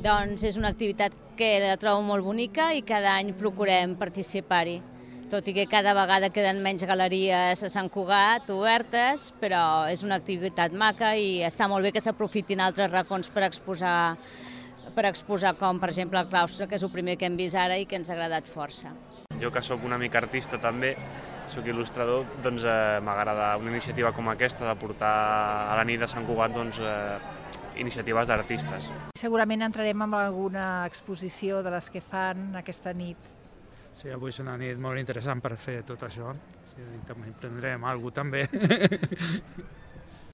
Doncs és una activitat que la trobo molt bonica i cada any procurem participar-hi. Tot i que cada vegada queden menys galeries a Sant Cugat obertes, però és una activitat maca i està molt bé que s'aprofitin altres racons per exposar com, per exemple, el claustre, que és el primer que hem vist ara i que ens ha agradat força. Jo, que sóc una mica artista també, sóc il·lustrador, doncs m'agrada una iniciativa com aquesta de portar a la nit de Sant Cugat iniciatives d'artistes. Segurament entrarem en alguna exposició de les que fan aquesta nit. Sí, avui és una nit molt interessant per fer tot això. Sí, també prendrem alguna cosa també.